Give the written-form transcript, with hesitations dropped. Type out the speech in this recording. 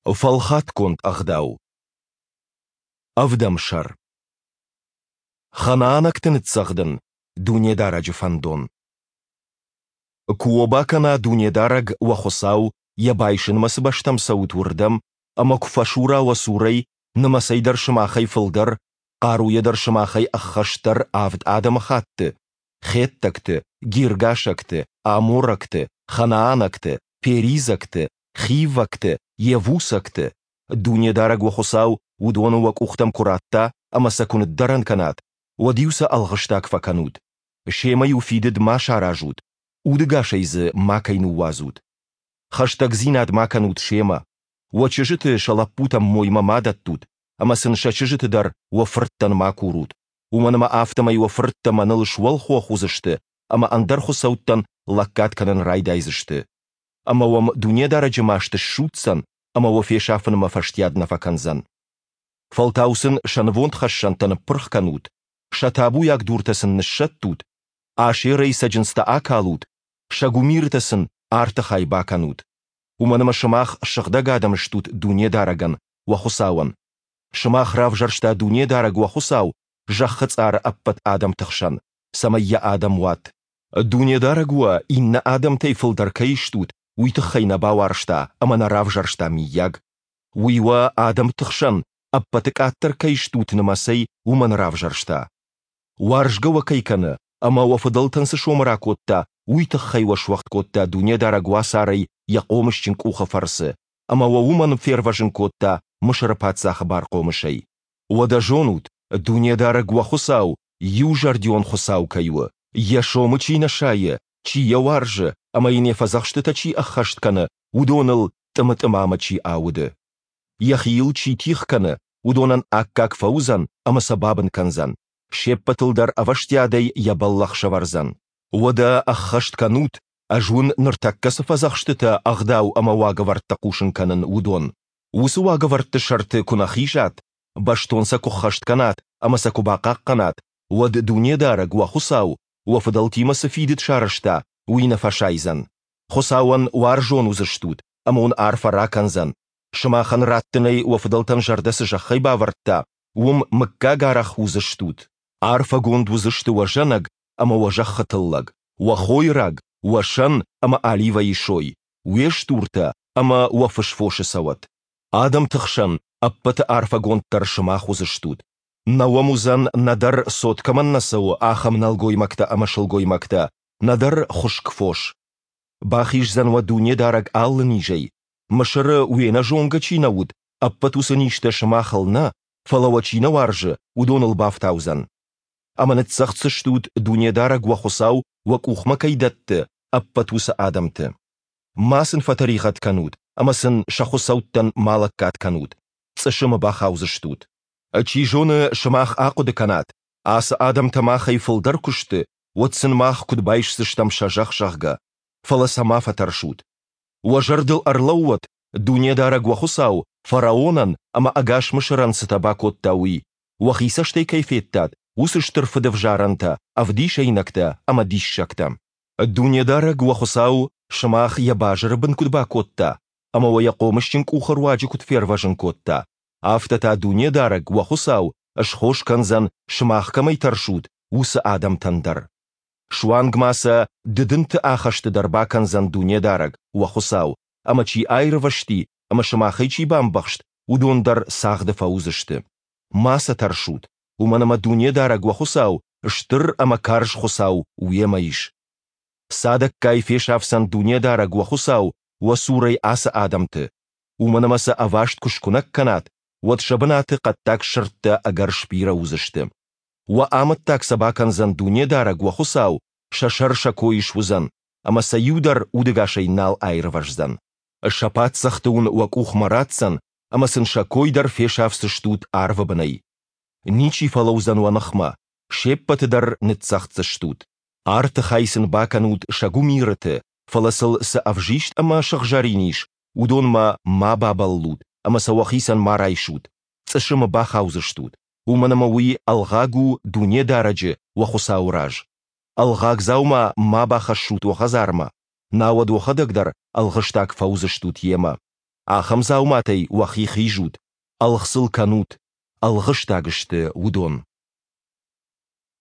Фӕлхатгонд ӕгъдау. Ӕвдӕм сӕр. Ханаанӕгты ныццӕгъдын Дунедарӕджы фӕндон. Куы уӕ бакӕна Дунедарӕг, уӕ Хуыцау, йӕ байсынмӕ цы бӕстӕм цӕут, уырдӕм, ӕмӕ куы фӕсура уӕ цурӕй, нымӕцӕй дӕр сымахӕй фылдӕр, хъаруйӕ дӕр сымахӕй ӕххӕстдӕр авд адӕмыхатты, хеттӕгты, гиргашӕгты, аморӕгты, ханаанӕгты, перизӕгты, хиввӕгты, йевусӕгты, Дунедарӕг уӕ Хуыцау уыдоны уӕ къухтӕм куы радта ӕмӕ сӕ куы ныддӕрӕн кӕнат, уӕд-иу сӕ ӕлгъыстаг фӕкӕнут. Семӕ-иу фидыд ма саразут, удӕгасӕй дзы макӕй ныууадзут. Хӕстӕгдзинад ма кӕнут семӕ. Уӕ чызджыты сӕ лӕппутӕм моймӕ ма дӕттут, ӕмӕ сын сӕ чызджыты дӕр уӕ фырттӕн ма курут, уымӕн ӕмӕ афтӕмӕй уӕ фырттӕ мӕныл суӕлхох уыдзысты ӕмӕ ӕндӕр хуыцӕуттӕн лӕггад кӕнын райдайдзысты. Ӕмӕ уӕм Дунедарӕджы маст ссудздзӕн ӕмӕ уӕ фесафынмӕ фӕстиад нӕ фӕкӕндзӕн. Фӕлтау сын сӕ нывондхӕссӕнтӕ ныппырх кӕнут, сӕ табуйаг дуртӕ сын ныссӕттут, Ашерӕй цӕджындзтӕ акалут, сӕ гуымирытӕ сын арты хай бакӕнут. Уымӕн ӕмӕ сымах сыгъдӕг адӕм стут Дунедарӕгӕн, уӕ Хуыцауӕн. Сымах равзӕрста Дунедарӕг уӕ Хуыцау зӕххы цъары ӕппӕт адӕмты хсӕн, цӕмӕй йӕ адӕм уат. Дунедарӕг уӕ иннӕ адӕмтӕй фылдӕр кӕй стут, уый тыххӕй нӕ бауарзта ӕмӕ нӕ равзӕрста, мыййаг. Уый уӕ адӕмты хсӕн ӕппӕты къаддӕр кӕй стут нымӕцӕй, уымӕн равзӕрста. Уарзгӕ уӕ кӕй кӕны ӕмӕ уӕ фыдӕлтӕн цы сомы ракодта, уый тыххӕй уӕ суӕгъд кодта Дунедарӕг уацарӕй йӕ хъомысджын къухы фӕрцы, ӕмӕ уӕ уымӕн фервӕзын кодта Мысыры паддзахы бархъомысӕй. Уӕдӕ зонут, Дунедарӕг уӕ Хуыцау иузӕрдион Хуыцау кӕй у, йӕ сомы чи нӕ сайы, чи йӕ уарзы ӕмӕ йын йӕ фӕдзӕхстытӕ чи ӕххӕст кӕны, уыдоныл тъымы-тъымамӕ чи ауды. Йӕхи йыл чи тигъ кӕны, уыдонӕн аккаг фӕуыдзӕн ӕмӕ сӕ бабын кӕндзӕн, се ппӕтыл дӕр ӕвӕстиадӕй йӕ бӕллӕх сӕвӕрдзӕн. Уӕдӕ ӕххӕст кӕнут, ӕз уын ныртӕккӕ цы фӕдзӕхстытӕ, ӕгъдау ӕмӕ уагӕвӕрдтӕ хъусын кӕнын, уыдон. Уыцы уагӕвӕрдты сӕрты куы нӕ хизат, бӕстон сӕ куы ххӕст кӕнат ӕмӕ сӕ куы бахъахъхъӕнат, уӕд Дунедарӕг, уӕ Хуыцау, уӕ фыдӕлтимӕ цы фидыд сарӕзта, уый нӕ фӕсайдзӕн. Хуыцауӕн уарзон уыдзыстут ӕмӕ уын арфӕ ракӕндзӕн, сымахӕн раттынӕй уӕ фыдӕлтӕн зӕрдӕ цы зӕххӕй бавӕрдта, уым мыггагарӕх уыдзыстут. Арфӕгонд уыдзысты уӕ зӕнӕг ӕмӕ уӕ зӕххы тыллӕг, уӕ хойраг, уӕ сӕн ӕмӕ оливӕйы сой, уе стуртӕ ӕмӕ уӕ фысфосы цӕуӕт. Адӕмты хсӕн ӕппӕты арфӕгонддӕр сымах уыдзыстут. Нӕ уӕм уыдзӕн нӕдӕр цот кӕмӕн нӕ цӕуы, ахӕм нӕлгоймӕгтӕ ӕмӕ сылгоймӕгтӕ, нӕдӕр хуыскъ фос. Бахиздзӕн уӕ Дунедарӕг алы низӕй, Мысыры уе нӕзонгӕ чи нӕ уыд, ӕппӕт уыцы низтӕ сымахыл нӕ, фӕлӕ уӕ чи нӕ уарзы, уыдоныл бафтаудзӕн. Ӕмӕ ныццӕгъддзыстут, Дунедарӕг уӕ Хуыцау уӕ къухмӕ кӕй дӕтты, ӕппӕт уыцы адӕмты. Ма сын фӕтӕригъӕд кӕнут ӕмӕ сын сӕ хуыцӕуттӕн ма лӕггад кӕнут, цъысымы бахаудзыстут. Чи зоны, сымах ахъуыды кӕнат, ацы адӕмтӕ махӕй фылдӕр куы сты, уӕд сын мах куыд байсдзыстӕм сӕ зӕхх, зӕгъгӕ. Фӕлӕ сӕ ма фӕтӕрсут. Уӕ зӕрдыл ӕрлӕууӕд, Дунедарӕг уӕ Хуыцау фараонӕн ӕмӕ ӕгас Мысырӕн цытӕ бакодта, уый, уӕхи цӕстӕй кӕй федтат, уыцы стыр фыдӕвзарӕнтӕ, ӕвдисӕйнӕгтӕ ӕмӕ диссӕгтӕ. Дунедарӕг уӕ Хуыцау сымах йӕ базыры бын куыд бакодта ӕмӕ уӕ йӕ хъомысджын къухы руаджы куыд фервӕзын кодта, афтӕ та Дунедарӕг уӕ Хуыцау схос кӕндзӕн, сымах кӕмӕй тӕрсут, уыцы адӕмтӕн дӕр. Суанг ма сӕ дыдынты ахӕсты дӕр бакӕндзӕн Дунедарӕг, уӕ Хуыцау, ӕмӕ чи аирвӕзти ӕмӕ сымахӕй чи бамбӕхст, уыдон дӕр цагъды фӕуыдзысты. Ма сӕ тӕрсут, уымӕн ӕмӕ Дунедарӕг уӕ Хуыцау стыр ӕмӕ карз Хуыцау уемӕ ис. Цадӕггай фесафдзӕн Дунедарӕг уӕ Хуыцау уӕ цурӕй ацы адӕмты, уымӕн ӕмӕ сӕ ӕваст куы скуынӕг кӕнат, уӕд сӕ бынаты хъӕддаг сырдтӕ ӕгӕр сбирӕ уыдзысты. Уӕ амӕттаг сӕ бакӕндзӕн Дунедарӕг уӕ Хуыцау, сӕ сӕр сӕ кой суыдзӕн, ӕмӕ сӕ иу дӕр удӕгасӕй нал аирвӕздзӕн. Сӕ паддзӕхты уын уӕ къухмӕ ратдзӕн, ӕмӕ сын сӕ кой дӕр фесафдзыстут арвы бынӕй. Ничи фӕлӕудзӕн уӕ ныхмӕ, се ппӕты дӕр ныццӕгъддзыстут. Арты хай сын бакӕнут сӕ гуымирыты, фӕлӕ сыл цы ӕвзист ӕмӕ сыгъзӕрин ис, уыдонмӕ ма бабӕллут ӕмӕ сӕ уӕхицӕн ма райсут, цъысымы бахаудзыстут, уымӕн ӕмӕ уый ӕлгъаг у Дунедарӕджы, уӕ Хуыцауы раз. Ӕлгъаг дзаума ма бахӕссут уӕ хӕдзармӕ, науӕд уӕхӕдӕг дӕр ӕлгъыстаг фӕуыдзыстут йемӕ. ахӕм дзауматӕй уӕхи хизут, ӕлгъ сыл кӕнут, ӕлгъыстаг сты уыдон.